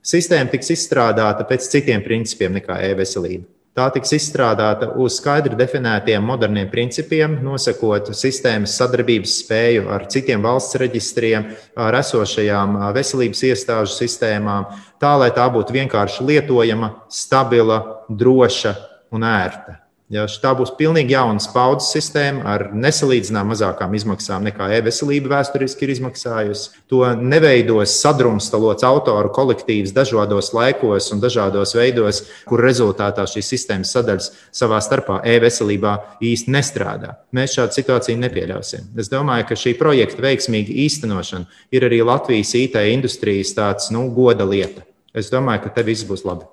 Sistēma tiks izstrādāta pēc citiem principiem nekā e-veselība. Tā tiks izstrādāta uz skaidri definētiem moderniem principiem, nosakot sistēmas sadarbības spēju ar citiem valsts reģistriem, ar esošajām veselības iestāžu sistēmām, tā, lai tā būtu vienkārši lietojama, stabila, droša un ērta. Ja, tā būs pilnīgi jauna paudzes sistēma ar nesalīdzinām mazākām izmaksām nekā e-veselība vēsturiski ir izmaksājusi. To neveidos sadrumstalots autoru kolektīvs dažādos laikos un dažādos veidos, kur rezultātā šīs sistēmas sadaļas savā starpā e-veselībā īsti nestrādā. Mēs šādu situāciju nepieļausim. Es domāju, ka šī projekta veiksmīga īstenošana ir arī Latvijas IT industrijas tāds, goda lieta. Es domāju, ka te viss būs labi.